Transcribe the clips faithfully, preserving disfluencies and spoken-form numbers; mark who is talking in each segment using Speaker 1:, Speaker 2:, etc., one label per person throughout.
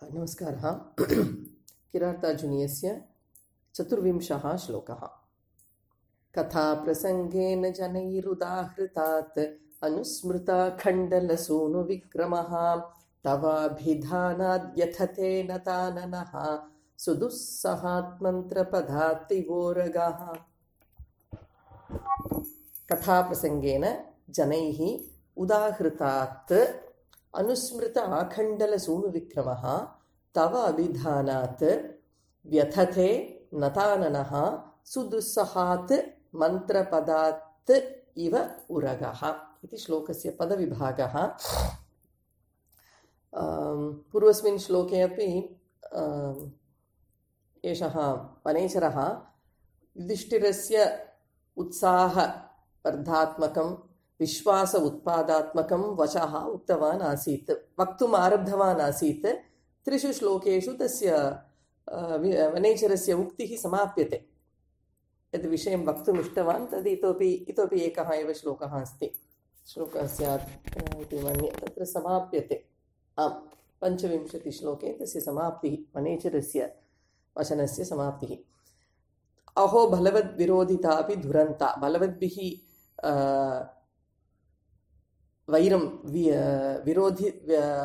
Speaker 1: नमस्कारः। किरातार्जुनीयस्य चतुर्विंशः श्लोकः। कथाप्रसङ्गेन जनैरुदाहृतात् अनुस्मृता खण्डलसूनुविक्रमः तवाभिधानाद्यथते नताननः सुदुस्सहात्मन्त्रपदात्तिवोरगः। कथाप्रसङ्गेन जनैः उदाहृतात् अनुस्मृत आखण्डलसूनुविक्रमः तव अभिधानात् व्यथते नताननः सुदुस्सहात् मन्त्रपदात् इव उरगः इति श्लोकस्य पदविभागः। पूर्वस्मिन् श्लोके अपि एषः वनेचरः युधिष्ठिरस्य उत्साहवर्धात्मकं विश्वास उत्पादात्मकं वचः उक्तवान् आसीत्, वक्तुम् आरब्धवान् आसीत्। त्रिषु श्लोकेषु तस्य वनेचरस्य उक्तिः समाप्यते। यद् विषयं वक्तुम् इष्टवान् तद् इतोपि इतोपि एकः एव श्लोकः अस्ति, श्लोकस्य इति मन्ये तत्र समाप्यते। आम्, पञ्चविंशतिश्लोके तस्य समाप्तिः, वनेचरस्य वचनस्य समाप्तिः। अहो बलवद्विरोधितापि दुरन्ता। बलवद्भिः वैरं विरोधि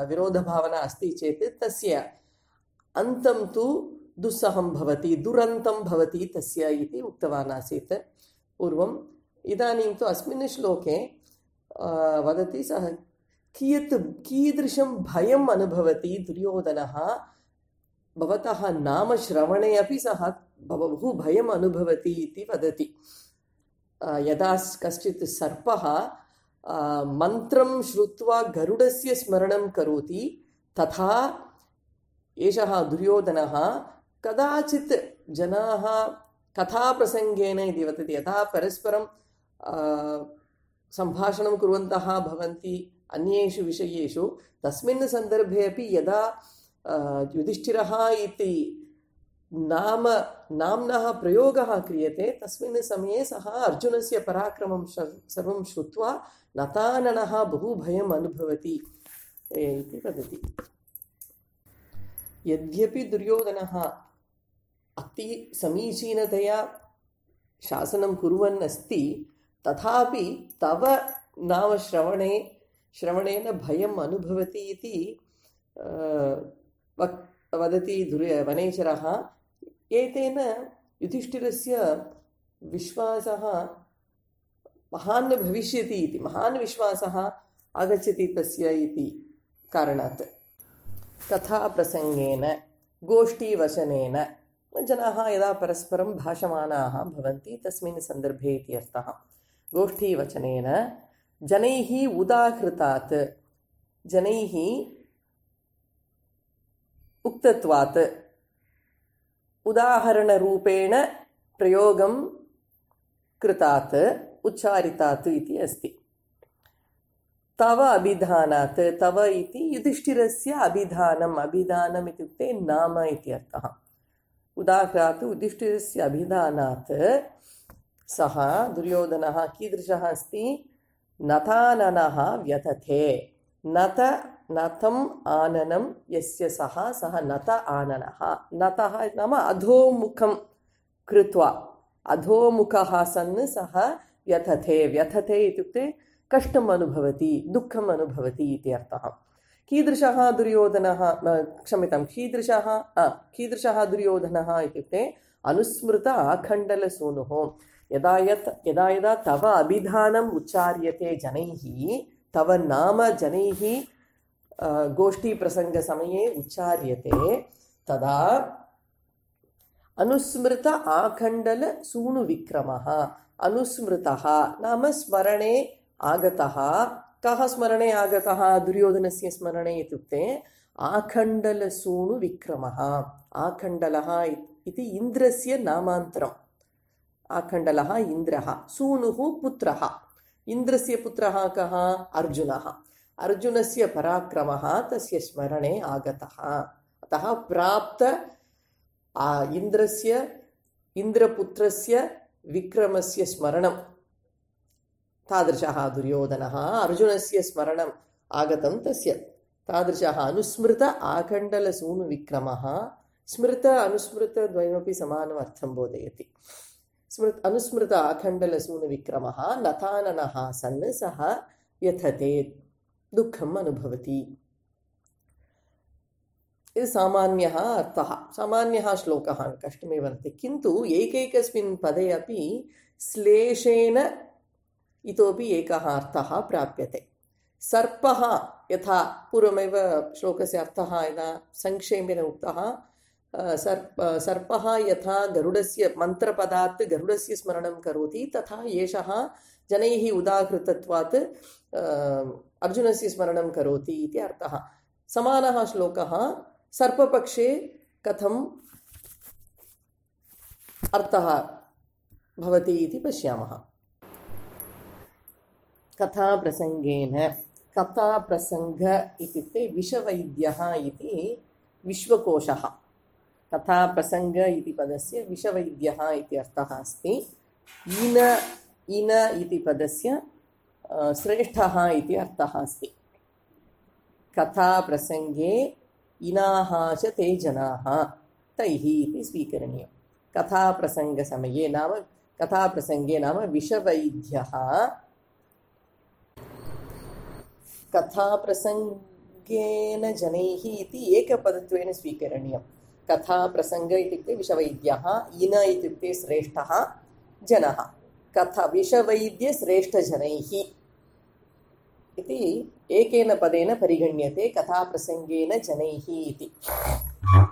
Speaker 1: विरोधभावना अस्ति चेत् तस्य अन्तं तु दुस्सहं भवति, दुरन्तं भवति तस्य इति उक्तवान् आसीत् पूर्वम्। इदानीं तु अस्मिन् श्लोके वदति सः कियत् कीदृशं भयम् अनुभवति दुर्योधनः। भवतः नाम श्रवणे अपि सः बहु भयम् अनुभवति इति वदति। यदा कश्चित् सर्पः मन्त्रं श्रुत्वा गरुडस्य स्मरणं करोति, तथा एषः दुर्योधनः कदाचित् जनाः कथाप्रसङ्गेन इति वदति, यथा परस्परं सम्भाषणं कुर्वन्तः भवन्ति अन्येषु विषयेषु, तस्मिन् सन्दर्भे अपि यदा युधिष्ठिरः इति नाम नाम्नः प्रयोगः क्रियते, तस्मिन् समये सः अर्जुनस्य पराक्रमं सर्वं श्रुत्वा नताननः बहु भयम् अनुभवति इति वदति। यद्यपि दुर्योधनः अति समीचीनतया शासनं कुर्वन् अस्ति, तथापि तव नाम श्रवणे श्रवणेन भयम् अनुभवति इति वदति दुर्य वनेचरः। एतेन युधिष्ठिरस्य विश्वासः महान् भविष्यति इति, महान् विश्वासः आगच्छति तस्य इति कारणात्। कथाप्रसङ्गेन गोष्ठीवचनेन जनाः यदा परस्परं भाषमाणाः भवन्ति तस्मिन् सन्दर्भे इति अर्थः। गोष्ठीवचनेन जनैः उदाहृतात्, जनैः उक्तत्वात्, उदाहरणरूपेण प्रयोगं कृतात्, उच्चारितात् इति अस्ति। तव अभिधानात्, तव इति युधिष्ठिरस्य अभिधानम्, अभिधानम् इत्युक्ते नाम इति अर्थः। उदाहृतात् युधिष्ठिरस्य अभिधानात् सः दुर्योधनः कीदृशः अस्ति? नताननः व्यथते। नत नतम् आननं यस्य सः सः नत आननः। नतः नाम अधोमुखं कृत्वा, अधोमुखः सन् सः व्यथते। व्यथते इत्युक्ते कष्टम् अनुभवति, दुःखम् अनुभवति इति अर्थः। कीदृशः दुर्योधनः, क्षम्यतां, कीदृशः कीदृशः दुर्योधनः इत्युक्ते अनुस्मृत आखण्डलसूनुः। यदा यत् यदा यदा तव अभिधानम् उच्चार्यते जनैः, तव नाम जनैः गोष्ठीप्रसङ्गसमये उच्चार्यते, तदा अनुस्मृत आखण्डलसूनुविक्रमः। अनुस्मृतः नाम स्मरणे आगतः। कः स्मरणे आगतः? दुर्योधनस्य स्मरणे इत्युक्ते आखण्डलसूनुविक्रमः। आखण्डलः इति इन्द्रस्य नामान्तरम्। आखण्डलः इन्द्रः, सूनुः पुत्रः। इन्द्रस्य पुत्रः कः? अर्जुनः। अर्जुनस्य पराक्रमः तस्य स्मरणे आगतः। अतः प्राप्त इन्द्रस्य इन्द्रपुत्रस्य विक्रमस्य स्मरणं, तादृशः दुर्योधनः। अर्जुनस्य स्मरणम् आगतं तस्य, तादृशः अनुस्मृत आखण्डलसूनुविक्रमः स्मृत अनुस्मृतद्वयमपि समानम् अर्थं बोधयति। स्मृत अनुस्मृत आखण्डलसूनुविक्रमः नताननः सन् सः व्यथते दुःखम् अनुभवति। इति सामान्यः अर्थः, सामान्यः श्लोकः, कष्टमेव वर्तते। किन्तु एकैकस्मिन् पदे अपि श्लेषेण इतोपि एकः अर्थः प्राप्यते। सर्पः यथा पूर्वमेव श्लोकस्य अर्थः यदा संक्षेपेण उक्तः, सर्प सर्पः यथा गरुडस्य मन्त्रपदात् गरुडस्य स्मरणं करोति तथा एषः जनैः उदाहृतत्वात् अर्जुनस्य स्मरणं करोति इति अर्थः। समानः श्लोकः सर्पपक्षे कथम् अर्थः भवति इति पश्यामः। कथाप्रसङ्गेन, कथाप्रसङ्ग इत्युक्ते विषवैद्यः इति विश्वकोशः। कथाप्रसङ्ग इति पदस्य विषवैद्यः इति अर्थः अस्ति। इन इन इति पदस्य श्रेष्ठः इति अर्थः अस्ति। कथाप्रसङ्गे इनाः च ते जनाः तैः इति स्वीकरणीयम्। कथाप्रसङ्गसमये नाम कथाप्रसङ्गे नाम विषवैद्यः कथाप्रसङ्गेन जनैः इति एकपदत्वेन स्वीकरणीयम्। कथाप्रसङ्ग इत्युक्ते विषवैद्यः, इन इत्युक्ते श्रेष्ठः जनः, कथा विषवैद्यश्रेष्ठजनैः इति एकेन पदेन परिगण्यते। कथाप्रसङ्गेन जनैः इति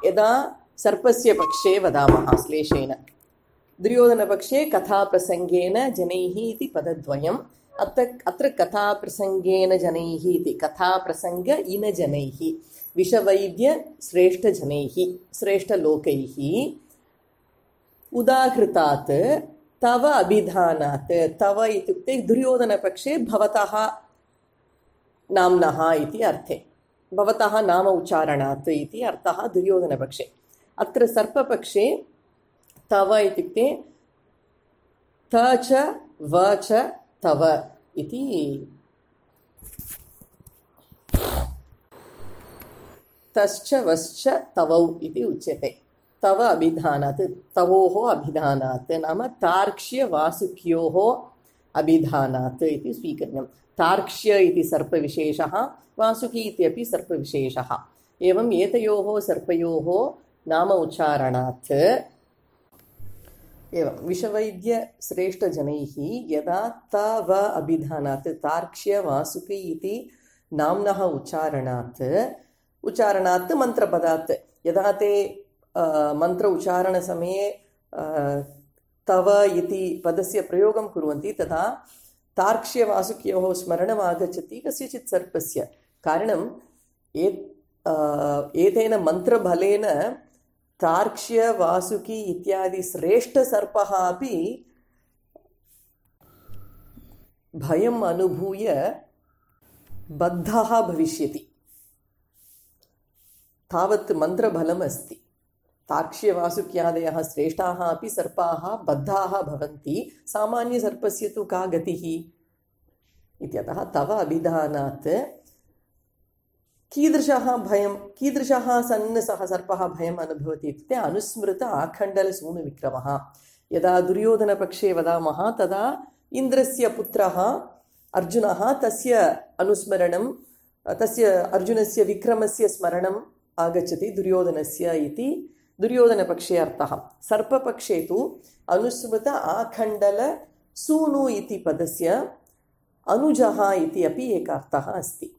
Speaker 1: यदा सर्पस्य पक्षे वदामः श्लेषेण, दुर्योधनपक्षे कथाप्रसङ्गेन जनैः इति पदद्वयम्। अत्र अत्र कथाप्रसङ्गेन जनैः इति कथाप्रसङ्ग इन जनैः विषवैद्यश्रेष्ठजनैः श्रेष्ठलोकैः उदाहृतात् तव अभिधानात्। तव इत्युक्ते दुर्योधनपक्षे भवतः नाम्नः इति अर्थे, भवतः नाम उच्चारणात् इति अर्थः दुर्योधनपक्षे। अत्र सर्पपक्षे तव इत्युक्ते त च व च तव इति तश्च वश्च तवौ इति उच्यते। तव अभिधानात्, तवोः अभिधानात् नाम तार्क्ष्यवासुक्योः अभिधानात् इति स्वीकरणीयम्। तार्क्ष्य इति सर्पविशेषः, वासुकी इत्यपि सर्पविशेषः। एवम् एतयोः सर्पयोः नाम उच्चारणात् एवं विषवैद्यश्रेष्ठजनैः यदा तव अभिधानात् तार्क्ष्यवासुकी इति नाम्नः उच्चारणात् उच्चारणात् मन्त्रपदात् यदा ते मन्त्र उच्चारणसमये तव इति पदस्य प्रयोगं कुर्वन्ति तदा तार्क्ष्यवासुक्योः स्मरणम् आगच्छति कस्यचित् सर्पस्य। कारणम् एतेन मन्त्रबलेन तार्क्ष्य वासुकी इत्यादि श्रेष्ठसर्पः अपि भयम् अनुभूय बद्धः भविष्यति। तावत् मन्त्रबलम् अस्ति। तार्क्ष्यवासुक्यादयः श्रेष्ठाः अपि सर्पाः बद्धाः भवन्ति। सामान्यसर्पस्य तु का गतिः इत्यतः तव अभिधानात् कीदृशः भयं कीदृशः सन् सः सर्पः भयम् अनुभवति इत्युक्ते अनुस्मृत आखण्डलसूनुविक्रमः। यदा दुर्योधनपक्षे वदामः तदा इन्द्रस्य पुत्रः अर्जुनः तस्य अनुस्मरणं तस्य अर्जुनस्य विक्रमस्य स्मरणम् आगच्छति दुर्योधनस्य इति दुर्योधनपक्षे अर्थः। सर्पपक्षे तु अनुस्मृत आखण्डलसूनु इति पदस्य अनुजः इति अपि एकः अर्थः अस्ति।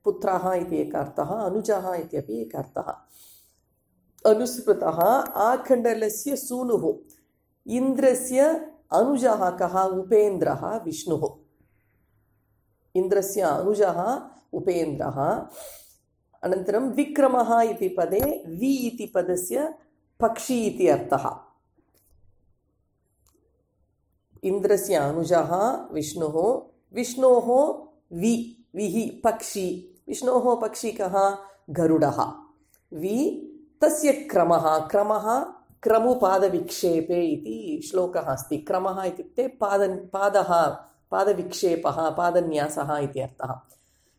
Speaker 1: पुत्रः इति एकः अर्थः, अनुजः इत्यपि एकः अर्थः। अनुस्मृतः आखण्डलस्य सूनुः, इन्द्रस्य अनुजः कः? उपेन्द्रः विष्णुः। इन्द्रस्य अनुजः उपेन्द्रः। अनन्तरं विक्रमः इति पदे वि इति पदस्य पक्षी इति अर्थः। इन्द्रस्य अनुजः विष्णुः, विष्णोः वि विहि पक्षी, विष्णोः पक्षी कः? गरुडः। वि तस्य क्रमः, क्रमः क्रमुपादविक्षेपे इति श्लोकः अस्ति। क्रमः इत्युक्ते पाद पादः पादविक्षेपः पादन्यासः इति अर्थः।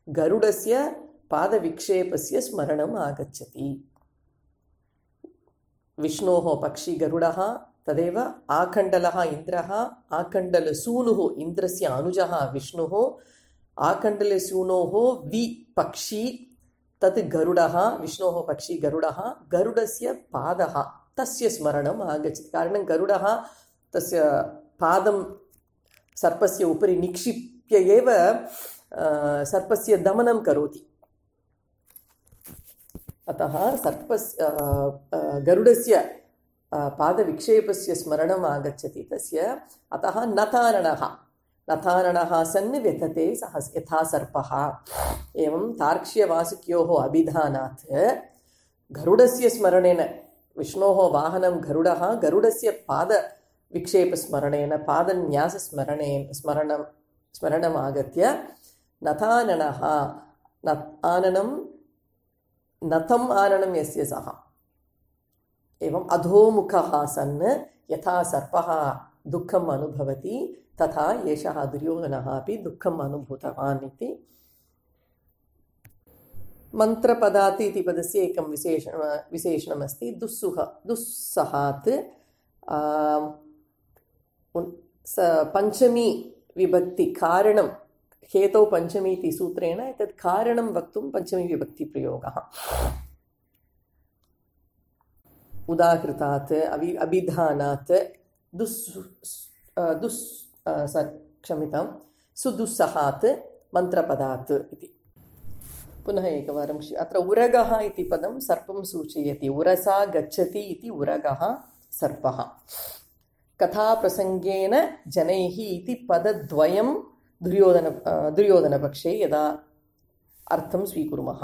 Speaker 1: गरुडस्य पादविक्षेपस्य स्मरणम् आगच्छति। विष्णोः पक्षी गरुडः, तदेव आकण्डलः इन्द्रः, आकण्डलसूनुः इन्द्रस्य अनुजः विष्णुः, आकण्डलसूनोः वि पक्षी तत् गरुडः, विष्णोः पक्षी गरुडः, गरुडस्य पादः तस्य स्मरणम् आगच्छति। कारणं गरुडः तस्य पादं सर्पस्य उपरि निक्षिप्य एव सर्पस्य दमनं करोति। अतः सर्पस्य गरुडस्य पादविक्षेपस्य स्मरणम् आगच्छति तस्य। अतः नताननः नताननः सन् व्यथते सः यथा सर्पः। एवं तार्क्ष्यवासुक्योः अभिधानात् गरुडस्य स्मरणेन, विष्णोः वाहनं गरुडः, गरुडस्य पादविक्षेपस्मरणेन, पादन्यासस्मरणेन स्मरणं स्मरणम् आगत्य नताननः, आननं नतम् आननं यस्य सः, एवम् अधोमुखः सन् यथा सर्पः दुःखम् अनुभवति तथा एषः दुर्योधनः अपि दुःखम् अनुभूतवान् इति। मन्त्रपदात् इति पदस्य एकं विशेषण विशेषणमस्ति दुस्सुह दुस्सहात्। पञ्चमी विभक्ति कारणं, हेतौ पञ्चमी इति सूत्रेण एतत् कारणं वक्तुं पञ्चमी विभक्तिप्रयोगः। उदाहृतात्, अभि अभिधानात्, दुस् दुस् क्षम्यतां सुदुस्सहात् मन्त्रपदात् इति। पुनः एकवारं अत्र उरगः इति पदं सर्पं सूचयति। उरसा गच्छति इति उरगः सर्पः। कथाप्रसङ्गेन जनैः इति पदद्वयं दुर्योधन दुर्योधनपक्षे यदा अर्थं स्वीकुर्मः।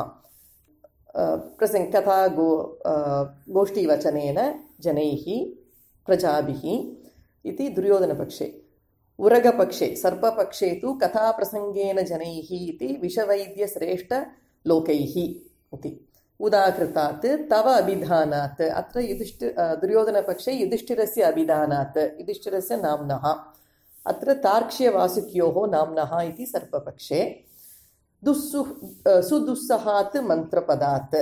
Speaker 1: प्रसङ्ग कथा गो गोष्ठीवचनेन जनैः प्रजाभिः इति दुर्योधनपक्षे। उरगपक्षे सर्पपक्षे तु कथाप्रसङ्गेन जनैः इति विषवैद्यश्रेष्ठलोकैः इति। उदाहृतात् तव अभिधानात्, अत्र युधिष्ठि दुर्योधनपक्षे युधिष्ठिरस्य अभिधानात्, युधिष्ठिरस्य नाम्नः, अत्र तार्क्ष्यवासुक्योः नाम्नः इति सर्पपक्षे। दुस्सु सुदुस्सहात् मन्त्रपदात्,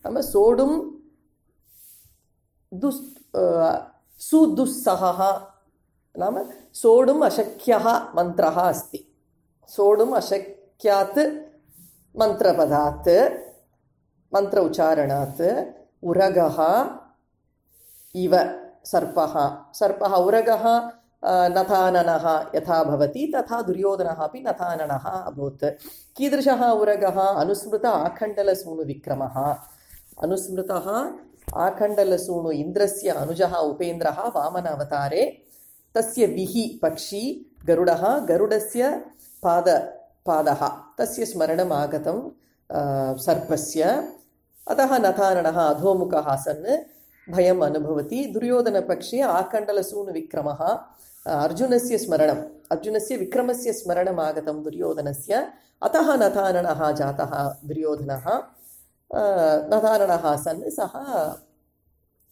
Speaker 1: नाम सोढुं दुस् सुदुस्सहः नाम सोढुम् अशक्यः मन्त्रः अस्ति। सोढुम् अशक्यात् मन्त्रपदात्, मन्त्र उच्चारणात् उरगः इव सर्पः। सर्पः उरगः नताननः यथा भवति तथा दुर्योधनः अपि नताननः अभूत्। कीदृशः उरगः? अनुस्मृत आखण्डलसूनुविक्रमः। अनुस्मृतः आखण्डलसूनु इन्द्रस्य अनुजः उपेन्द्रः वामन अवतारे, तस्य विहि पक्षी गरुडः, गरुडस्य पाद पादः तस्य स्मरणम् आगतं सर्पस्य। अतः नताननः अधोमुखः सन् भयम् अनुभवति। दुर्योधनपक्षे आकण्डलसूनुविक्रमः, अर्जुनस्य स्मरणम्, अर्जुनस्य विक्रमस्य स्मरणम् आगतं दुर्योधनस्य। अतः नताननः जातः दुर्योधनः। नताननः सन् सः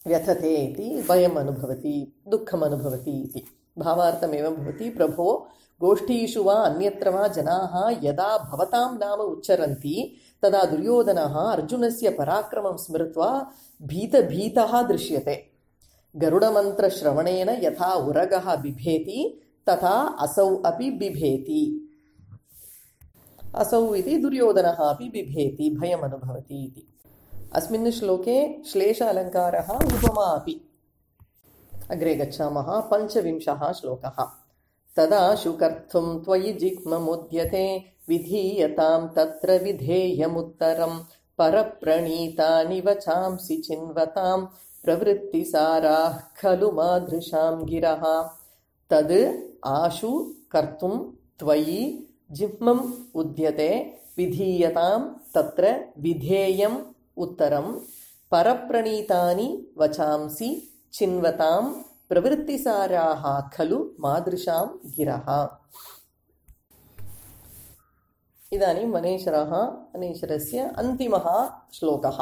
Speaker 1: व्यथते इति, भयम् अनुभवति, दुःखम् अनुभवति इति। भावार्थमेवं भवति, प्रभो गोष्ठीषु वा अन्यत्र वा जनाः यदा भवतां नाम उच्चरन्ति तदा दुर्योधनः अर्जुनस्य पराक्रमं स्मृत्वा भीतभीतः दृश्यते। गरुडमन्त्रश्रवणेन यथा उरगः बिभेति तथा असौ अपि बिभेति। असौ इति दुर्योधनः अपि बिभेति, भयम् अनुभवति इति। अस्मिन् श्लोके श्लेष अलङ्कारः उपमा अपि। अग्रे गच्छामः। पञ्चविंशः श्लोकः। तदा शुकर्थुं त्वयि जिह्ममुद्यते विधीयतां तत्र विधेयमुत्तरं परप्रणीतानि वचांसि चिन्वतां प्रवृत्तिसाराः खलु मादृशां गिरः। तद् आशु कर्तुं त्वयि जिह्मम् उद्यते विधीयतां तत्र विधेयम् उत्तरं परप्रणीतानि वचांसि चिन्वतां प्रवृत्तिसाराः खलु मादृशां गिरः। इदानीं वनेश्वरः वनेश्वरस्य अन्तिमः श्लोकः।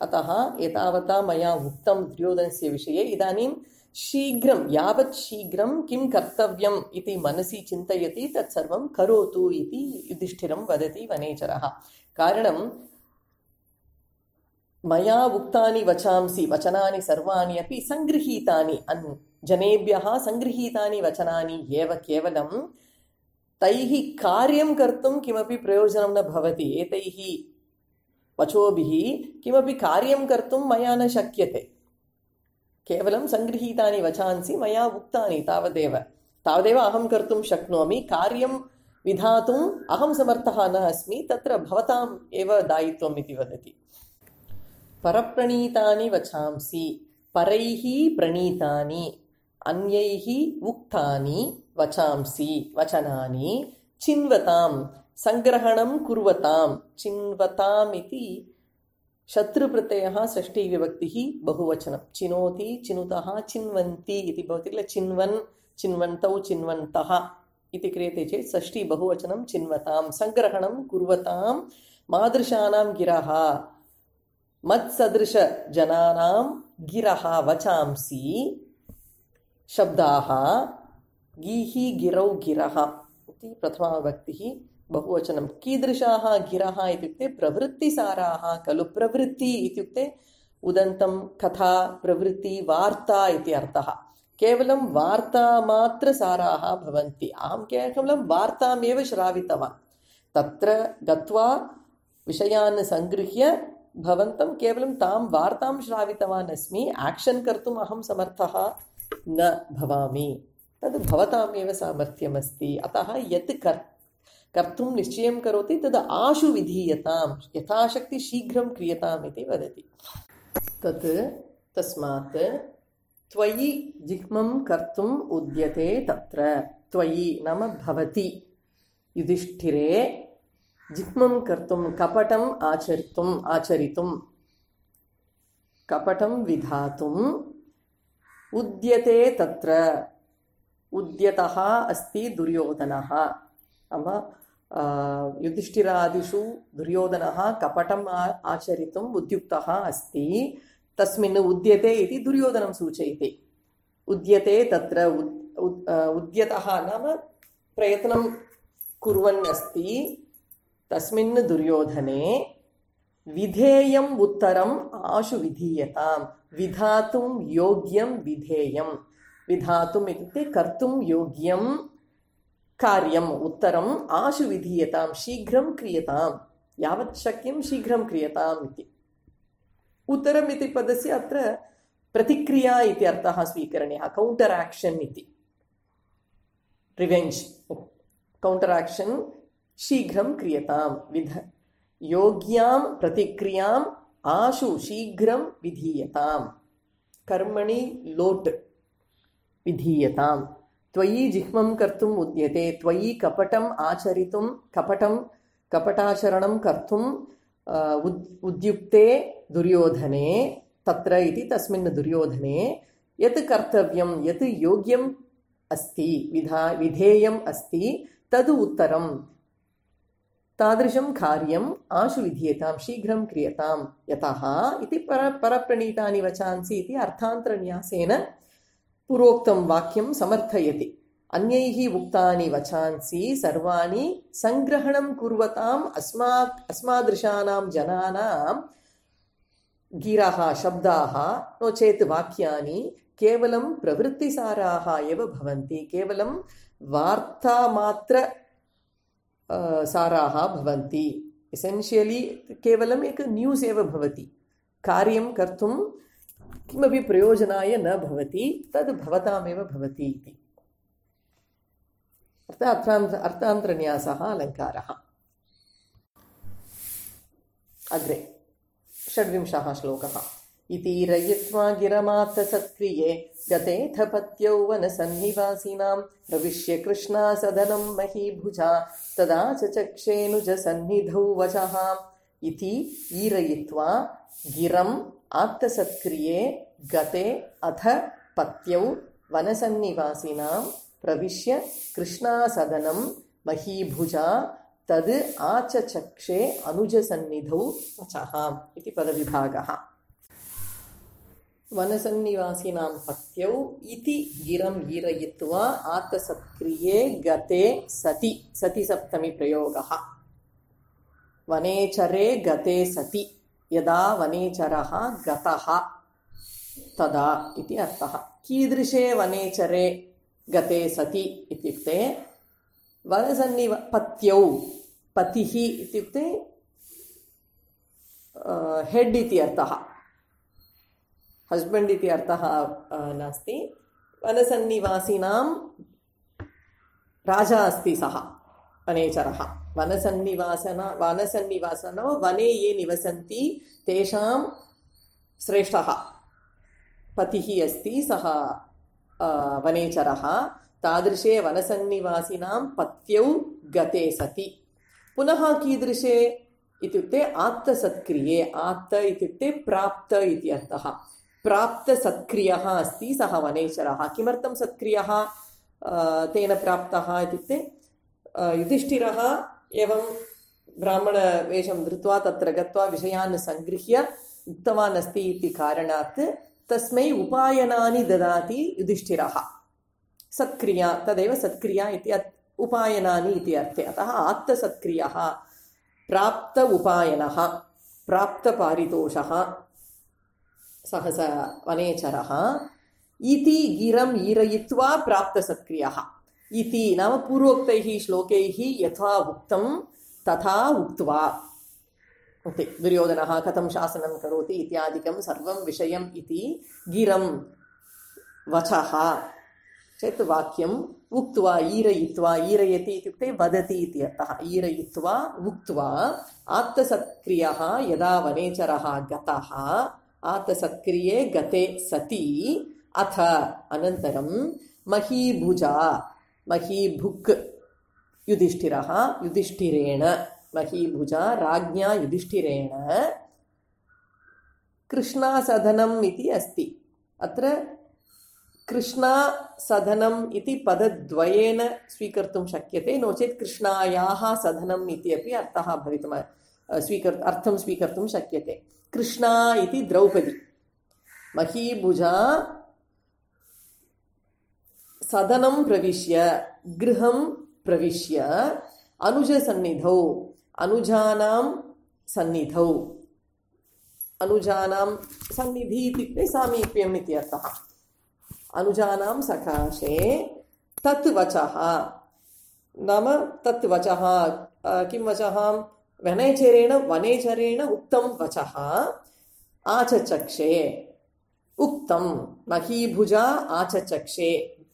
Speaker 1: अतः एतावता मया उक्तं दुर्योधनस्य विषये। इदानीं शीघ्रं, यावत् शीघ्रं किं कर्तव्यम् इति मनसि चिन्तयति तत्सर्वं करोतु इति युधिष्ठिरं वदति वनेचरः। कारणं मया उक्तानि वचांसि वचनानि सर्वाणि अपि सङ्गृहीतानि अन् जनेभ्यः सङ्गृहीतानि वचनानि एव केवलं तैः कार्यं कर्तुं किमपि प्रयोजनं न भवति। एतैः वचोभिः किमपि कार्यं कर्तुं मया न शक्यते। केवलं सङ्गृहीतानि वचांसि मया उक्तानि तावदेव तावदेव अहं कर्तुं शक्नोमि। कार्यं विधातुम् अहं समर्थः न अस्मि, तत्र भवताम् एव दायित्वम् इति वदति। परप्रणीतानि वचांसि परैः प्रणीतानि अन्यैः उक्तानि वचांसि वचनानि चिन्वतां सङ्ग्रहणं कुर्वतां। चिन्वताम् इति शत्रुप्रत्ययः षष्ठीविभक्तिः बहुवचनं। चिनोति चिनुतः चिन्वन्ति इति भवति किल। चिन्वन् चिन्वन्तौ चिन्वन्तः इति क्रियते चेत् षष्ठी बहुवचनं चिन्वतां। सङ्ग्रहणं कुर्वतां मादृशानां गिरः मत्सदृशजनानां गिरः वचांसि शब्दाः गीः गिरौ गिरः इति प्रथमाविभक्तिः बहुवचनं। कीदृशाः गिरः इत्युक्ते प्रवृत्तिसाराः खलु। प्रवृत्ति इत्युक्ते उदन्तं कथा प्रवृत्ति वार्ता इति अर्थः। केवलं वार्तामात्रसाराः भवन्ति। अहं केवलं वार्तामेव श्रावितवान्। तत्र गत्वा विषयान् सङ्गृह्य भवन्तं केवलं तां वार्तां श्रावितवान् अस्मि। आक्षन् कर्तुम् अहं समर्थः न भवामि। तद् भवतामेव सामर्थ्यमस्ति। अतः यत् कर् कर्तुं निश्चयं करोति तद् आशु विधीयतां, यथाशक्ति शीघ्रं क्रियताम् इति वदति। तत् तस्मात् त्वयि जिह्मं कर्तुम् उद्यते तत्र। त्वयि नाम भवति युधिष्ठिरे जिह्मं कर्तुं कपटम् आचरितुम् आचरितुं कपटं विधातुम् उद्यते तत्र। उद्यतः अस्ति दुर्योधनः। नाम युधिष्ठिरादिषु दुर्योधनः कपटम् आचरितुम् उद्युक्तः अस्ति। तस्मिन् उद्यते इति दुर्योधनं सूचयति। उद्यते तत्र उद्यतः नाम प्रयत्नं कुर्वन् अस्ति तस्मिन् दुर्योधने। विधेयम् उत्तरम् आशु विधीयतां। विधातुं योग्यं विधेयं। विधातुम् इत्युक्ते कर्तुं योग्यं कार्यम् उत्तरम् आशु विधीयतां शीघ्रं क्रियतां। यावत् शक्यं शीघ्रं क्रियताम् इति। उत्तरम् इति पदस्य अत्र प्रतिक्रिया इति अर्थः स्वीकरणीयः। कौण्टर् आक्षन् इति। रिवेञ्ज् कौण्टर् आक्षन् शीघ्रं क्रियतां। विध योग्यां प्रतिक्रियाम् आशु शीघ्रं विधीयतां। कर्मणि लोट् विधीयतां। त्वयि जिह्मं कर्तुम् उद्यते। त्वयि कपटम् आचरितुं कपटं कपटाचरणं कर्तुम् उद्युक्ते दुर्योधने तत्र इति तस्मिन् दुर्योधने यत् कर्तव्यं यत् योग्यम् अस्ति विधा विधेयम् अस्ति तद् उत्तरं तादृशं कार्यम् आशु विधीयतां शीघ्रं क्रियतां। यतः इति पर परप्रणीतानि वचांसि इति अर्थान्तरन्यासेन पूर्वोक्तं वाक्यं समर्थयति। अन्यैः उक्तानि वचांसि सर्वाणि सङ्ग्रहणं कुर्वताम् अस्मात् अस्मादृशानां जनानां गिरः शब्दाः नो चेत् वाक्यानि केवलं प्रवृत्तिसाराः एव भवन्ति। केवलं वार्तामात्र साराः भवन्ति। एसेन्शियलि केवलम् एक न्यूस् एव भवति। कार्यं कर्तुं किमपि प्रयोजनाय न भवति। तद् भवतामेव भवति इति अर्थान्त अर्थान्तरन्यासः अलङ्कारः। अग्रे षड्विंशः श्लोकः। इति रयित्वा गिरमात्तसत्क्रिये गतेऽथ पत्यौ वनसन्निवासिनां प्रविश्य कृष्णासदनं महीभुजा तदा च चक्षेऽनुजसन्निधौ वचः। इति ईरयित्वा गिरम् आत्तसत्क्रिये गते अथ पत्यौ वनसन्निवासिनां प्रविश्य कृष्णासदनं महीभुजा तद् आचचक्षे अनुजसन्निधौ वचः इति पदविभागः। वनसन्निवासिनां पत्यौ इति गिरम् ईरयित्वा आत्तसत्क्रिये गते सति सति सप्तमी प्रयोगः। वनेचरे गते सति यदा वनेचरः गतः तदा इति अर्थः। कीदृशे वनेचरे गते सति इत्युक्ते वनसन्निव पत्यौ, पतिः इत्युक्ते हेड् इति अर्थः, हस्बेण्ड् इति अर्थः नास्ति। वनसन्निवासिनां राजा अस्ति सः वनेचरः। वनसन्निवासन वनसन्निवासनो वने ये निवसन्ति तेषां श्रेष्ठः पतिः अस्ति सः वनेचरः। तादृशे वनसन्निवासिनां पत्यौ गते सति। पुनः कीदृशे इत्युक्ते आत्तसत्क्रिये। आत्त इत्युक्ते प्राप्त इति अर्थः। प्राप्तसत्क्रियः अस्ति सः वनेचरः। किमर्थं सत्क्रियः तेन प्राप्तः इत्युक्ते युधिष्ठिरः एवं ब्राह्मणवेषं धृत्वा तत्र गत्वा विषयान् सङ्गृह्य उक्तवान् अस्ति इति कारणात् तस्मै उपायनानि ददाति युधिष्ठिरः। सत्क्रिया, तदेव सत्क्रिया इति उपायनानि इति अर्थे। अतः आत्तसत्क्रियः, प्राप्त उपायनः, प्राप्तपारितोषः सः स वनेचरः। इति गिरम् ईरयित्वा प्राप्तसत्क्रियः। इति नाम पूर्वोक्तैः श्लोकैः यथा उक्तं तथा उक्त्वा। दुर्योधनः कथं शासनं करोति इत्यादिकं सर्वं विषयम् इति गिरं वचः चेत् वाक्यम् उक्त्वा ईरयित्वा। ईरयति इत्युक्ते वदति इति अर्थः। ईरयित्वा उक्त्वा आत्तसत्क्रियः यदा वनेचरः गतः, आत्तसत्क्रिये गते सति, अथ अनन्तरं महीभुजा, महीभुक् युधिष्ठिरः, युधिष्ठिरेण, महीभुजा राज्ञा युधिष्ठिरेण कृष्णासदनम् इति अस्ति। अत्र कृष्णासदनम् इति पदद्वयेन स्वीकर्तुं शक्यते, नो चेत् कृष्णायाः सदनम् इति अपि अर्थः भवितुम् स्वीकर् अर्थं स्वीकर्तुं शक्यते। कृष्णा इति द्रौपदी, महीभुजा सदनं प्रविश्य, गृहं प्रविश्य, अनुजसन्निधौ, अनुजानां सन्निधौ, अनुजानां सन्निधि इत्युक्ते सामीप्यम् इति अर्थः। अनुजानां सकाशे तत् वचः, नाम तत् वचः किं वचः? वनेचरेण वनेचरेण उक्तं वचः आचचक्षे। उक्तं महीभुजा आचचक्षे,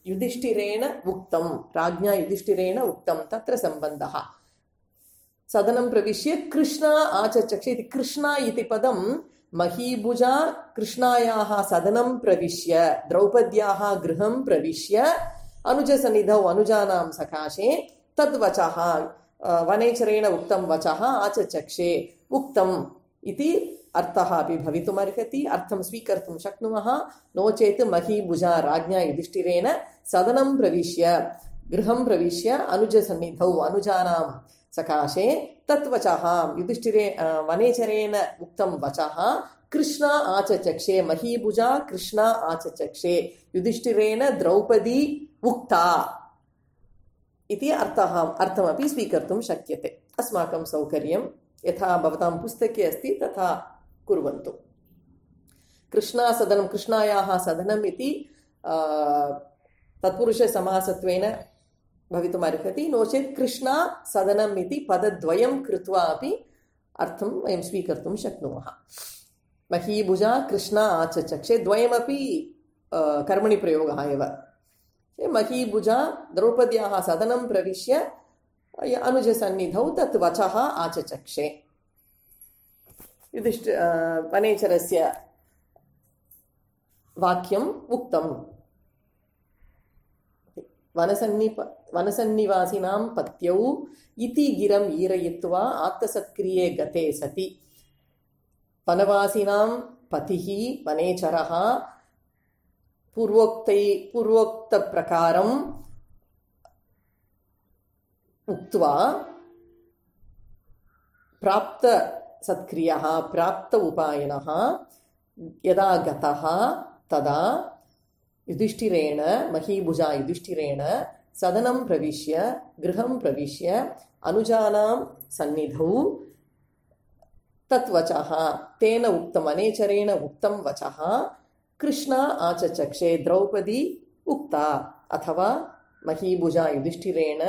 Speaker 1: युधिष्ठिरेण उक्तं, राज्ञा युधिष्ठिरेण उक्तं, तत्र सम्बन्धः। सदनं प्रविश्य कृष्णा आचचक्षे इति। कृष्णा इति पदं महीभुजा कृष्णायाः सदनं प्रविश्य, द्रौपद्याः गृहं प्रविश्य, अनुजसन्निधौ अनुजानां सकाशे तद्वचः वनेचरेण उक्तं वचः आचचक्षे। उक्तम् इति अर्थः अपि भवितुमर्हति, अर्थं स्वीकर्तुं शक्नुमः। नो चेत् महीभुजा राज्ञा युधिष्ठिरेण सदनं प्रविश्य, गृहं प्रविश्य, अनुजसन्निधौ अनुजानां सकाशे तत्वचः युधिष्ठिरे वनेचरेण उक्तं वचः कृष्णा आचचक्षे। महीभुजा कृष्णा आचचक्षे, युधिष्ठिरेण द्रौपदी उक्ता इति अर्थः अर्थमपि स्वीकर्तुं शक्यते। अस्माकं सौकर्यं यथा भवतां पुस्तके अस्ति तथा कुर्वन्तु। कृष्णासदनं, कृष्णायाः सदनम् इति तत्पुरुषसमासत्वेन भवितुमर्हति, नो चेत् कृष्णा सदनम् इति पदद्वयं कृत्वा अपि अर्थं वयं स्वीकर्तुं शक्नुमः। महीभुजा कृष्णा आचचक्षे द्वयमपि कर्मणि प्रयोगः एव। महीभुजा द्रौपद्याः सदनं प्रविश्य अनुजसन्निधौ तत् वचः आचचक्षे। युधिष्ठ वनेचरस्य वाक्यम् उक्तम्। वनसन्निप वनसन्निवासिनां पत्यौ इति गिरम् ईरयित्वा आत्तसत्क्रिये गते सति। वनवासिनां पतिः वनेचरः पूर्वोक्तै पूर्वोक्तप्रकारम् उक्त्वा प्राप्तसत्क्रियः प्राप्त उपायनः यदा गतः तदा युधिष्ठिरेण, महीभुजा युधिष्ठिरेण सदनं प्रविश्य, गृहं प्रविश्य, अनुजानां सन्निधौ तत्वचः तेन उक्तम् अनेचरेण उक्तं वचः कृष्णा आचचक्षे द्रौपदी उक्ता अथवा महीभुजा युधिष्ठिरेण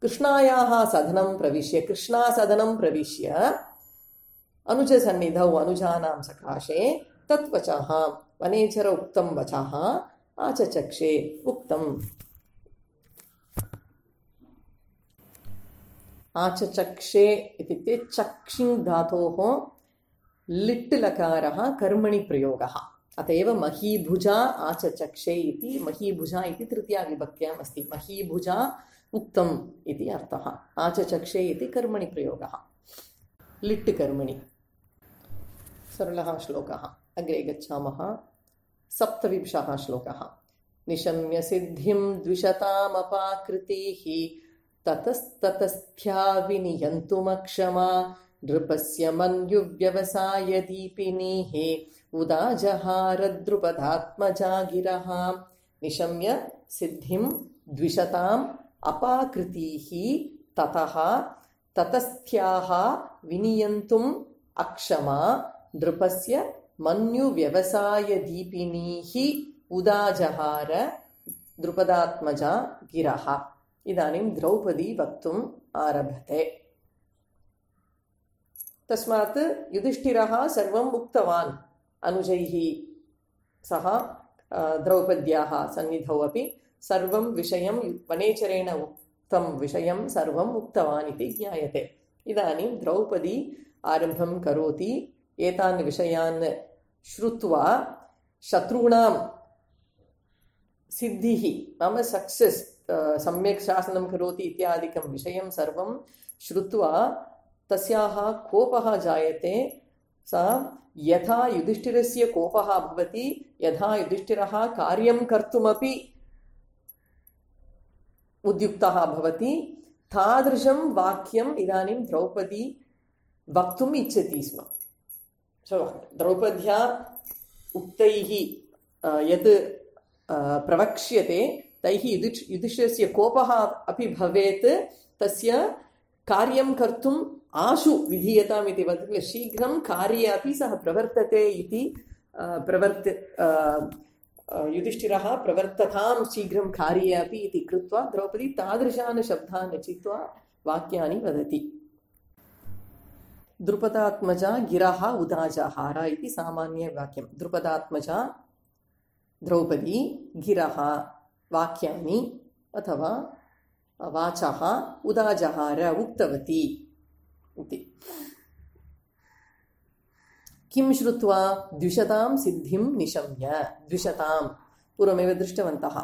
Speaker 1: कृष्णायाः सदनं प्रविश्य कृष्णा सदनं प्रविश्य अनुजसन्निधौ अनुजानां सकाशे तत्वचः वनेचर उक्तं वचः आचचक्षे उक्तम्। आचचक्षे इत्युक्ते चक्षिङ् धातोः लिट् लकारः कर्मणि प्रयोगः। अत एव महीभुजा आचचक्षे इति महीभुजा इति तृतीया विभक्त्याम् अस्ति। महीभुजा उक्तम् इति अर्थः। आचचक्षे इति कर्मणि प्रयोगः लिट् कर्मणि। सरलः श्लोकः। अग्रे गच्छामः। सप्तविंशः श्लोकः। निशम्य सिद्धिं द्विषतामपाकृतिः ततस्ततस्थ्या विनियन्तुमक्षमा नृपस्य मन्युव्यवसाय दीपिनीः उदाजहार द्रुपदात्मजा गिरः। निशम्य सिद्धिं द्विषताम् अपाकृतिः ततः ततस्थ्याः विनियन्तुम् अक्षमा नृपस्य मन्युव्यवसाय दीपिनीः उदाजहार द्रुपदात्मजा गिरः। इदानीं द्रौपदी वक्तुम् आरभते। तस्मात् युधिष्ठिरः सर्वम् उक्तवान्। अनुजैः सह द्रौपद्याः सन्निधौ अपि सर्वं विषयं वनेचरेण उक्तं विषयं सर्वम् उक्तवान् इति ज्ञायते। इदानीं द्रौपदी आरम्भं करोति। एतान् विषयान् श्रुत्वा शत्रूणां सिद्धिः नाम सक्सेस् सम्यक् शासनं करोति इत्यादिकं विषयं सर्वं श्रुत्वा तस्याः कोपः जायते। सा यथा युधिष्ठिरस्य कोपः भवति यथा युधिष्ठिरः कार्यं कर्तुमपि उद्युक्तः भवति तादृशं वाक्यम् इदानीं द्रौपदी वक्तुम् इच्छति स्म। द्रौपद्या उक्तैः यत् प्रवक्ष्यते तैः युधिष् युधिष्ठिरस्य कोपः अपि भवेत्। तस्य कार्यं कर्तुम् आशु विधीयताम् इति वदति। शीघ्रं कार्ये अपि सः प्रवर्तते इति प्रवर्त युधिष्ठिरः प्रवर्ततां शीघ्रं कार्ये अपि इति कृत्वा द्रौपदी तादृशान् शब्दान् रचित्वा वाक्यानि वदति। द्रुपदात्मजा गिरः उदाजहार इति सामान्यवाक्यं। द्रुपदात्मजा द्रौपदी गिरः वाक्यानि अथवा वाचः उदाजहार उक्तवती इति। किं श्रुत्वा द्विषतां सिद्धिं निशम्य। द्विषतां पूर्वमेव दृष्टवन्तः।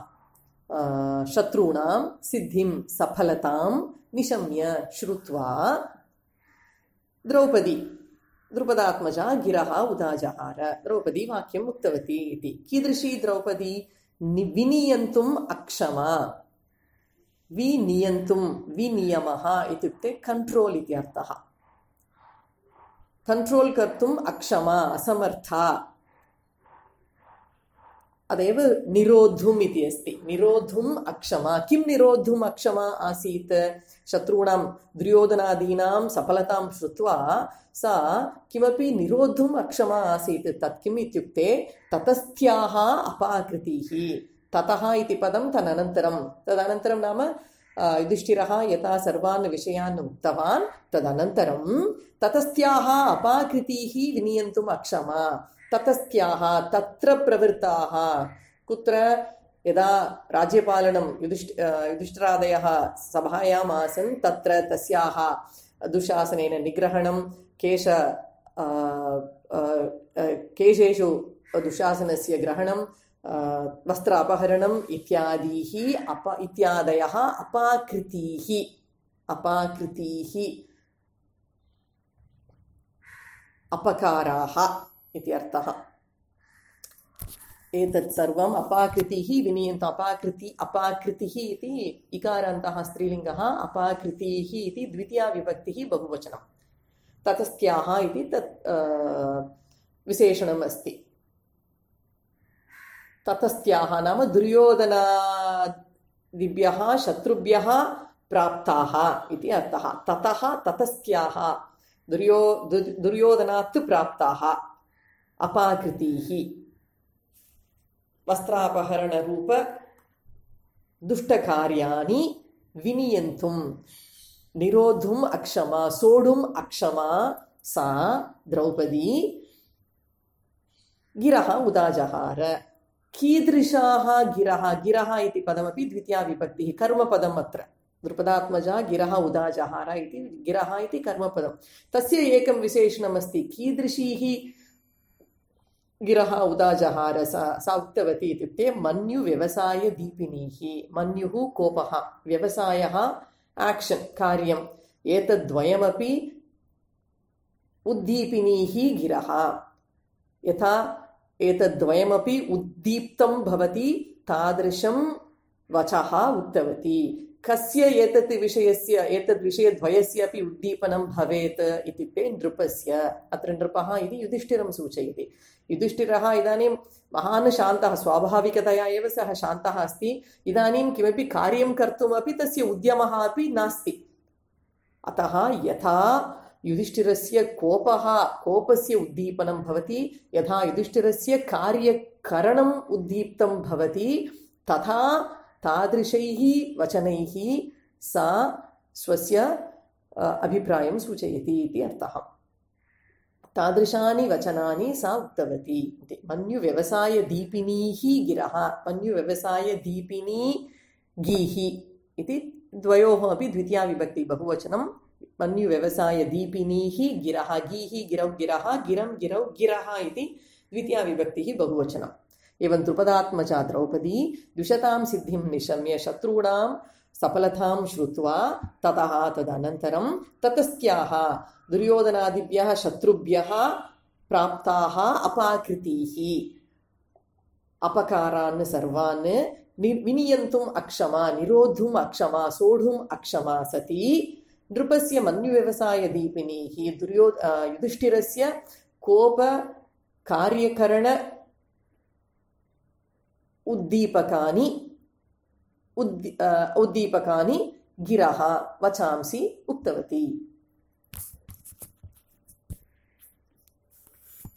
Speaker 1: शत्रूणां सिद्धिं सफलतां निशम्य श्रुत्वा द्रौपदी द्रुपदात्मजा गिरः उदाजहार। द्रौपदी वाक्यम् उक्तवती इति। कीदृशी द्रौपदी? विनियन्तुम् अक्षमा। विनियन्तुं विनियमः इत्युक्ते कंट्रोल इति अर्थः। कंट्रोल कर्तुम् अक्षमा असमर्था। अदेव निरोद्धुम् इति अस्ति। निरोद्धुम् अक्षमा। किं निरोद्धुम् अक्षमा आसीत्? शत्रूणां दुर्योधनादीनां सफलतां श्रुत्वा सा किमपि निरोद्धुम् अक्षमा आसीत्। तत् किम् इत्युक्ते ततस्थ्याः अपाकृतिः। ततः इति पदं तदनन्तरं तदनन्तरं नाम युधिष्ठिरः यथा सर्वान् विषयान् उक्तवान् तदनन्तरं ततस्थ्याः अपाकृतिः विनियन्तुम् अक्षमा। ततस्थ्याः तत्र प्रवृत्ताः। कुत्र? यदा राज्यपालनं युधिष्ठ युधिष्ठिरादयः सभायाम् आसन् तत्र तस्याः दुःशासनेन निग्रहणं केश केशेषु दुःशासनस्य ग्रहणं वस्त्र अपहरणम् इत्यादिः अप इत्यादयः अपाकृतिः अपाकृतिः अपकाराः इति अर्थः। एतत् सर्वम् अपाकृतिः विनियन्त अपाकृति अपाकृतिः इति इकारान्तः स्त्रीलिङ्गः अपाकृतिः इति द्वितीया विभक्तिः बहुवचनं। ततस्थ्याः इति तत् विशेषणम् अस्ति। ततस्थ्याः नाम दुर्योधनादिभ्यः शत्रुभ्यः प्राप्ताः इति अर्थः। ततः ततस्थ्याः दुर्यो दुर्योधनात् प्राप्ताः अपाकृतीः वस्त्रापहरणरूप दुष्टकार्याणि विनियन्तुं निरोद्धुम् अक्षमा सोढुम् अक्षमा सा द्रौपदी गिरः उदाजहार कीदृशाः गिरः गिरः इति पदमपि द्वितीया विभक्तिः कर्मपदम् अत्र द्रुपदात्मजा गिरः उदाजहार इति गिरः इति कर्मपदं तस्य एकं विशेषणमस्ति कीदृशीः गिरः उदाजहार सा सा उक्तवती इत्युक्ते मन्युव्यवसायदीपिनीः मन्युः कोपः व्यवसायः आक्षन् कार्यम् एतद्द्वयमपि उद्दीपिनीः गिरः यथा एतद्द्वयमपि उद्दीप्तं भवति तादृशं वचः उक्तवती कस्य एतत् विषयस्य एतद् विषयद्वयस्य अपि उद्दीपनं भवेत् इत्युक्ते नृपस्य अत्र नृपः इति युधिष्ठिरं सूचयति युधिष्ठिरः इदानीं महान् शान्तः स्वाभाविकतया एव सः शान्तः अस्ति इदानीं किमपि कार्यं कर्तुमपि तस्य उद्यमः अपि नास्ति अतः यथा युधिष्ठिरस्य कोपः कोपस्य उद्दीपनं भवति यथा युधिष्ठिरस्य कार्यकरणम् उद्दीप्तं भवति तथा तादृशैः वचनैः सा स्वस्य अभिप्रायं सूचयति इति अर्थः तादृशानि वचनानि सा उक्तवती इति मन्युव्यवसायदीपिनीः गिरः मन्युव्यवसायदीपिनी गीः इति द्वयोः अपि द्वितीया विभक्ति बहुवचनं मन्युव्यवसायदीपिनीः गिरः गीः गिरौ गिरः गिरं गिरौ गिरः इति द्वितीया विभक्तिः बहुवचनम् एवं द्रुपदात्मजा द्रौपदी द्विषतां सिद्धिं निशम्य शत्रूणां सफलतां श्रुत्वा ततः तदनन्तरं ततस्त्याः दुर्योधनादिभ्यः शत्रुभ्यः प्राप्ताः अपाकृतीः अपकारान् सर्वान् विनियन्तुम् अक्षमा निरोद्धुम् अक्षमा सोढुम् अक्षमा सती नृपस्य मन्युव्यवसायदीपिनीः दुर्यो युधिष्ठिरस्य कोप कार्यकरण उद्दीपकानि उद्दी उद्दीपकानि गिरः वचांसि उक्तवती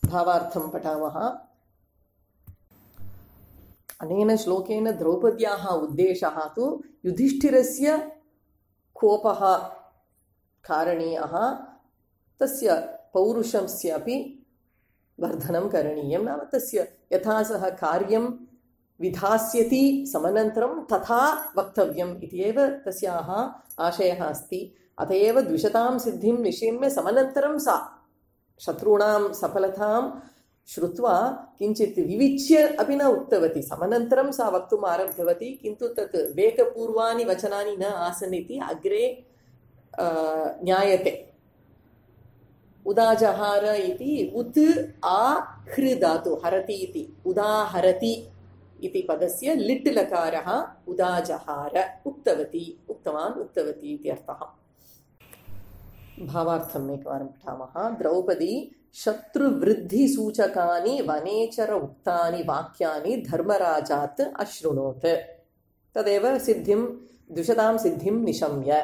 Speaker 1: भावार्थं पठामः अनेन श्लोकेन द्रौपद्याः उद्देशः तु युधिष्ठिरस्य कोपः कारणीयः तस्य पौरुषस्यापि वर्धनं करणीयं नाम तस्य यथा सः कार्यं विधास्यति समनन्तरं तथा वक्तव्यम् इति एव तस्याः आशयः अस्ति अत एव द्विषतां सिद्धिं निशम्य समनन्तरं सा शत्रूणां सफलतां श्रुत्वा किञ्चित् विविच्य अपि न उक्तवती समनन्तरं सा वक्तुम् आरब्धवती किन्तु तत् वेगपूर्वानि वचनानि न आसन् इति अग्रे ज्ञायते उदाजहार इति उत् आ हृ धातु हरति इति उदाहरति इति पदस्य लिट् लकारः उदाजहार उक्तवती उक्तवान् उक्तवती इति अर्थः भावार्थम् एकवारं पठामः द्रौपदी शत्रुवृद्धिसूचकानि वनेचर उक्तानि वाक्यानि धर्मराजात् अशृणोत् तदेव सिद्धिं द्विषतां सिद्धिं निशम्य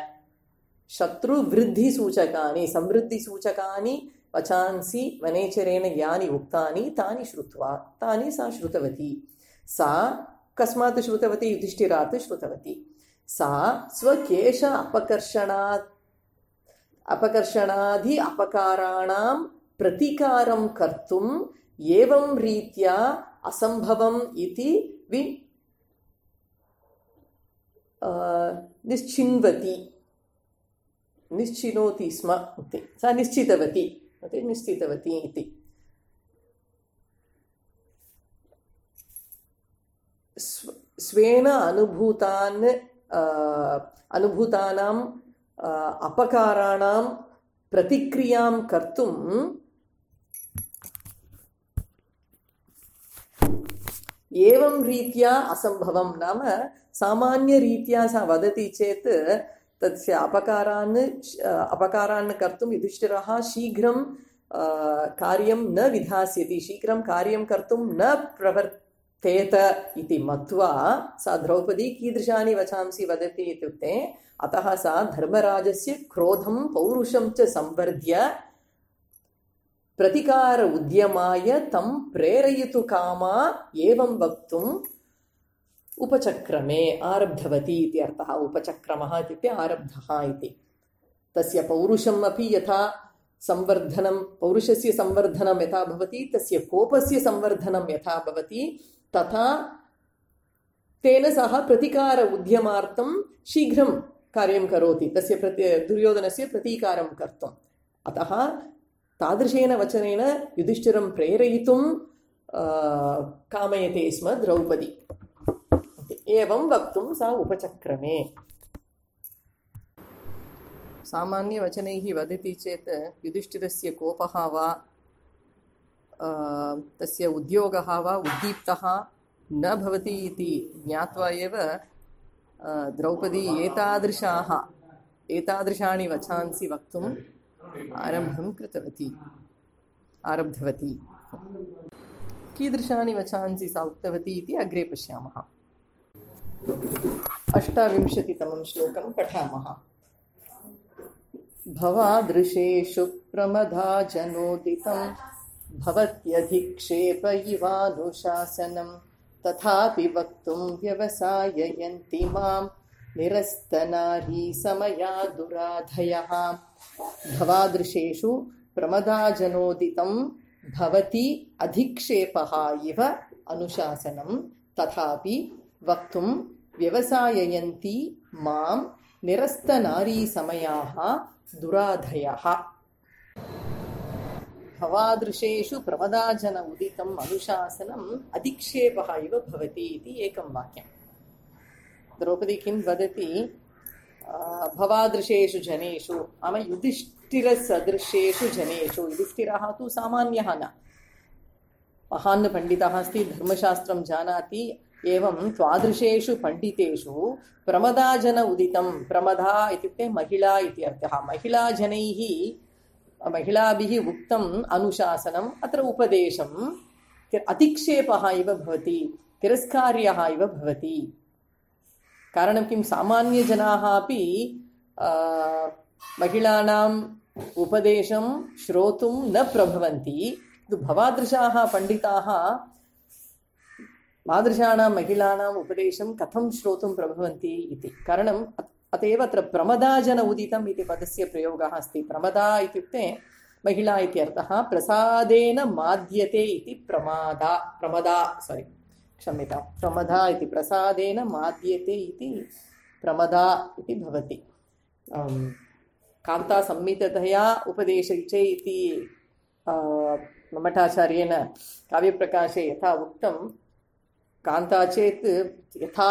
Speaker 1: शत्रुवृद्धिसूचकानि समृद्धिसूचकानि वचांसि वनेचरेण यानि उक्तानि तानि श्रुत्वा तानि सा श्रुतवती सा कस्मात् श्रुतवती युधिष्ठिरात् श्रुतवती सा स्वकेश अपकर्षणात् अपकर्षणादि अपकाराणां प्रतिकारं कर्तुम् एवं रीत्या असम्भवम् इति वि निश्चिन्वति निश्चिनोति स्म इति सा निश्चितवती निश्चितवती इति स्वेन अनुभूतान् अनुभूतानां अपकाराणां प्रतिक्रियां कर्तुं एवं रीत्या असम्भवं नाम सामान्यरीत्या सा वदति चेत् तस्य अपकारान् अपकारान् कर्तुं युधिष्ठिरः शीघ्रं कार्यं न विधास्यति शीघ्रं कार्यं कर्तुं न प्रवर्तेत इति मत्वा सा द्रौपदी कीदृशानि वचांसि वदति इत्युक्ते अतः सा धर्मराजस्य क्रोधं पौरुषं च संवर्ध्य प्रतिकार उद्यमाय तं प्रेरयितु कामा एवं वक्तुम् उपचक्रमे आरब्धवती इति अर्थः। उपचक्रमः इत्युक्ते आरब्धः इति। तस्य पौरुषम् अपि यथा संवर्धनं, पौरुषस्य संवर्धनं यथा भवति, तस्य कोपस्य संवर्धनं यथा भवति, तथा तेन सह प्रतिकार उद्यमार्थं शीघ्रं कार्यं करोति, तस्य प्रति दुर्योधनस्य प्रतीकारं कर्तुम्। अतः तादृशेन वचनेन युधिष्ठिरं प्रेरयितुं कामयते स्म द्रौपदी। एवं वक्तुं सा उपचक्रमे। सामान्यवचनैः वदति चेत् युधिष्ठिरस्य कोपः वा तस्य उद्योगः वा उद्दीप्तः न भवति इति ज्ञात्वा एव द्रौपदी एतादृशाः एतादृशानि वचांसि वक्तुम् आरम्भं कृतवती आरब्धवती। कीदृशानि वचांसि सा उक्तवती इति अग्रे पश्यामः। अष्टाविंशतितमं श्लोकं पठामः। भवादृशेषु प्रमदा जनोदितं भवत्यधिक्षेप इवानुशासनं तथापि वक्तुं व्यवसाययन्ति मां निरस्तनारी समया दुराधयः। भवादृशेषु प्रमदाजनोदितं भवति अधिक्षेपः इव अनुशासनं तथापि वक्तुं व्यवसाययन्ति मां निरस्तनारी समयाः दुराधयः। भवादृशेषु प्रमदाजन उदितम् अनुशासनम् अधिक्षेपः इव भवति इति एकं वाक्यं। द्रौपदी किं वदति? भवादृशेषु जनेषु नाम युधिष्ठिरसदृशेषु जनेषु। युधिष्ठिरः तु सामान्यः न, महान् पण्डितः अस्ति, धर्मशास्त्रं जानाति। एवं त्वादृशेषु पण्डितेषु प्रमदाजन उदितं, प्रमदा इत्युक्ते महिला इति अर्थः। महिलाजनैः महिलाभिः उक्तम् अनुशासनम्, अत्र उपदेशम् अतिक्षेपः इव भवति, तिरस्कार्यः इव भवति। कारणं किं? सामान्यजनाः अपि महिलानाम् उपदेशं श्रोतुं न प्रभवन्ति। भवादृशाः पण्डिताः तादृशानां महिलानाम् उपदेशं कथं श्रोतुं प्रभवन्ति इति कारणम् अतएव अत्र प्रमदाजन उदितम् इति पदस्य प्रयोगः अस्ति। प्रमदा इत्युक्ते महिला इति अर्थः। प्रसादेन माद्यते इति प्रमादा प्रमदा सारी क्षम्यतां प्रमदा इति प्रसादेन माद्यते इति प्रमदा इति भवति। कान्तासंहितया उपदेशे इति मम्मटाचार्येण काव्यप्रकाशे यथा उक्तं, कान्ता चेत् यथा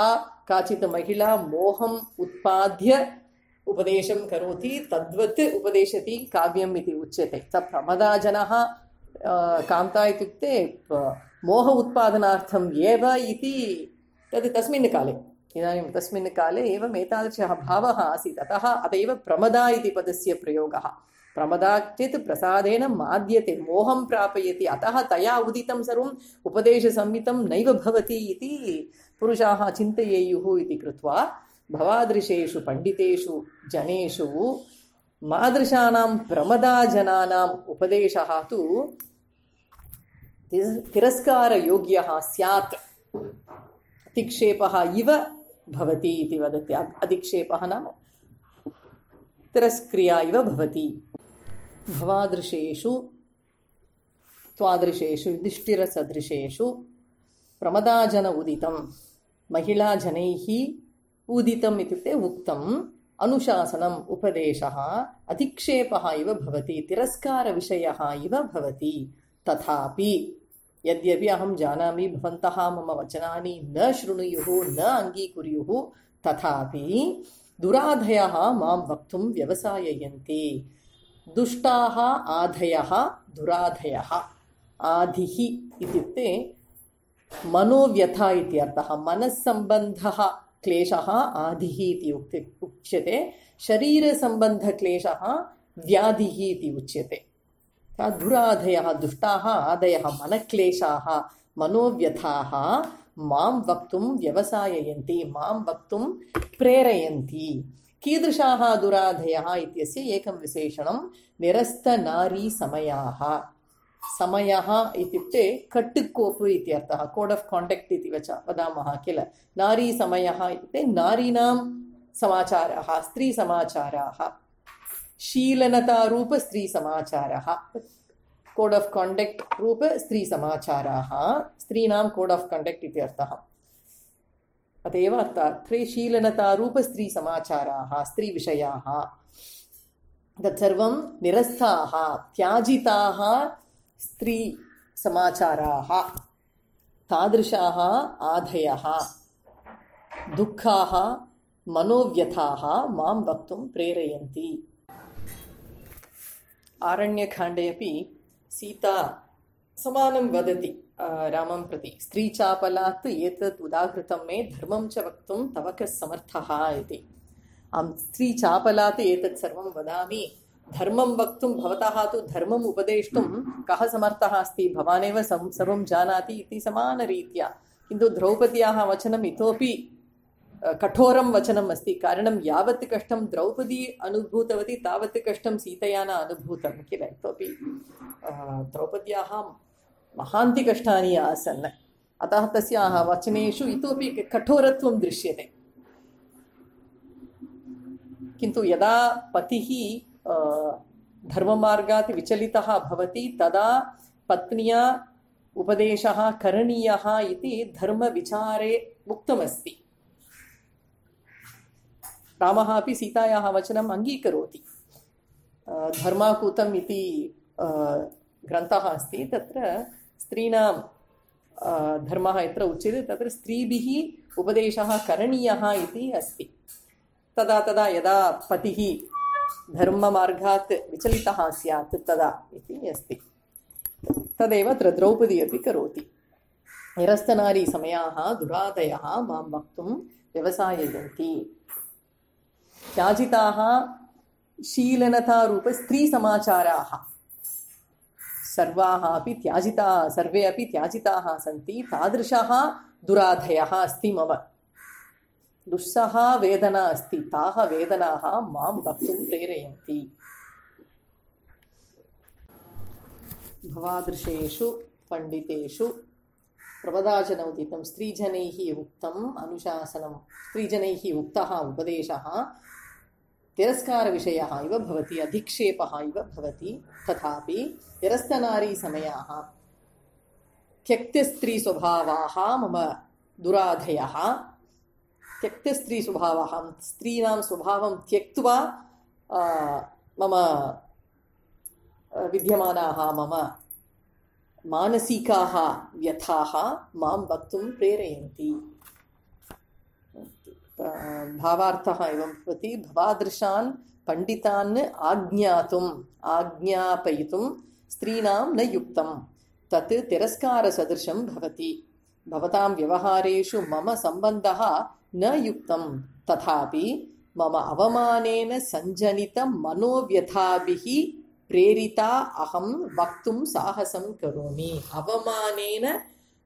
Speaker 1: काचित् महिला मोहम् उत्पाद्य उपदेशं करोति तद्वत् उपदेशति काव्यम् इति उच्यते। स प्रमदाजनः कान्ता इत्युक्ते मोह उत्पादनार्थम् एव इति तद् तस्मिन् काले, इदानीं तस्मिन् काले एवम् एतादृशः भावः आसीत्। अतः अत एव प्रमदा इति पदस्य प्रयोगः। प्रमदा चेत् प्रसादेन माद्यते, मोहं प्रापयति, अतः तया उदितं सर्वम् उपदेशसंहितं नैव भवति इति पुरुषाः चिन्तयेयुः इति कृत्वा भवादृशेषु पण्डितेषु जनेषु मादृशानां प्रमदाजनानाम् उपदेशः तु तिरस्कारयोग्यः स्यात्, अधिक्षेपः इव भवति इति वदति। अधिक्षेपः नाम तिरस्क्रिया इव भवति। भवादृशेषु त्वादृशेषु युधिष्ठिरसदृशेषु प्रमदाजन उदितं, महिलाजनैः उदितम् इत्युक्ते उक्तम्, अनुशासनम् उपदेशः अधिक्षेपः इव भवति, तिरस्कारविषयः इव भवति। तथापि यद्यपि अहं जानामि भवन्तः मम वचनानि न शृणुयुः न अङ्गीकुर्युः, तथापि दुराधयः मां वक्तुं व्यवसाययन्ति। दुष्टाः आधयः दुराधयः। आधिः इत्युक्ते मनोव्यथा इति अर्थः। मनस्सम्बन्धः क्लेशः आधिः इति उच्यते। शरीरसम्बन्धक्लेशः व्याधिः इति उच्यते। दुराधयः दुष्टाः आदयः मनक्लेशाः मनोव्यथाः मां वक्तुं व्यवसाययन्ति, मां वक्तुं प्रेरयन्ति। कीदृशाः दुराधयः इत्यस्य एकं विशेषणं निरस्तनारी समयाः। समयः इत्युक्ते कट्टुकोपु इत्यर्थः, कोड् आफ् काण्डक्ट् इति वच वदामः किल। नारी समयः इत्युक्ते नारीणां समाचाराः, स्त्रीसमाचाराः, शीलनतारूप स्त्रीसमाचारः, कोड् आफ् काण्डक्ट् रूप स्त्रीसमाचाराः, स्त्रीणां कोड् आफ् काण्डक्ट् इति अर्थः। अत एव अत्रे शीलनतारूप स्त्रीसमाचाराः, स्त्रीविषयाः तत्सर्वं निरस्ताः, त्याजिताः स्त्रीसमाचाराः, तादृशाः आधयः, दुःखाः, मनोव्यथाः मां वक्तुं प्रेरयन्ति। आरण्यकाण्डे अपि सीता समानं वदति रामं प्रति, स्त्रीचापलात् एतत् उदाहृतं मे धर्मं च वक्तुं तव कः समर्थः इति। अहं स्त्रीचापलात् एतत् सर्वं वदामि, धर्मं वक्तुं भवतः तु धर्मम् उपदेष्टुं कः समर्थः अस्ति, भवानेव सर्वं जानाति इति समानरीत्या। किन्तु द्रौपद्याः वचनम् इतोपि कठोरं वचनम् अस्ति, कारणं यावत् कष्टं द्रौपदी अनुभूतवती तावत् कष्टं सीतया न अनुभूतं किल। इतोपि द्रौपद्याः महान्ति कष्टानि आसन्, अतः तस्याः वचनेषु इतोपि कठोरत्वं दृश्यते। किन्तु यदा पतिः धर्ममार्गात् विचलितः भवति तदा पत्न्या उपदेशः करणीयः इति धर्मविचारे उक्तमस्ति। रामः अपि सीतायाः वचनम् अङ्गीकरोति। धर्माकूतम् इति ग्रन्थः अस्ति, तत्र स्त्रीणां धर्मः यत्र उच्यते तत्र स्त्रीभिः उपदेशः करणीयः इति अस्ति। तदा तदा यदा पतिः धर्ममार्गात् विचलितः स्यात् तदा इति अस्ति। तदेव अत्र द्रौपदी अपि करोति। निरस्तनारी समयाः दुरादयः मां वक्तुं व्यवसाययन्ति। त्याजिताः शीलनतारूप स्त्रीसमाचाराः सर्वाः अपि त्याजिताः, सर्वे अपि त्याजिताः सन्ति। तादृशः दुराधयः अस्ति मम, दुस्सहा वेदना अस्ति, ताः वेदनाः मां वक्तुं प्रेरयन्ति। भवादृशेषु पण्डितेषु प्रवदाचनोदितं स्त्रीजनैः उक्तम् अनुशासनं, स्त्रीजनैः उक्तः उपदेशः तिरस्कारविषयः इव भवति, अधिक्षेपः इव भवति। तथापि निरस्तनारी समयाः त्यक्तस्त्रीस्वभावाः मम दुराधयः, त्यक्तस्त्रीस्वभावः, स्त्रीणां स्वभावं त्यक्त्वा मम विद्यमानाः मम मानसिकाः व्यथाः मां वक्तुं प्रेरयन्ति। भावार्थः एवं भवति, भवादृशान् पण्डितान् आज्ञातुम् आज्ञापयितुं स्त्रीणां न युक्तं, तत् तिरस्कारसदृशं भवति। भवतां व्यवहारेषु मम सम्बन्धः न युक्तं, तथापि मम अवमानेन सञ्जनित मनोव्यथाभिः प्रेरिता अहं वक्तुं साहसं करोमि। अवमानेन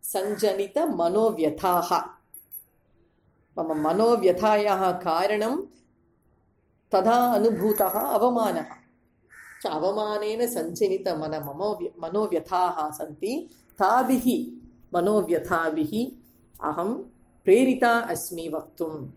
Speaker 1: सञ्जनित मनोव्यथाः, मम मनोव्यथायाः कारणं तदा अनुभूतः अवमानः। अवमानेन सञ्जनित मन ममो मनोव्यथाः सन्ति, ताभिः मनोव्यथाभिः अहं प्रेरिता अस्मि वक्तुम्।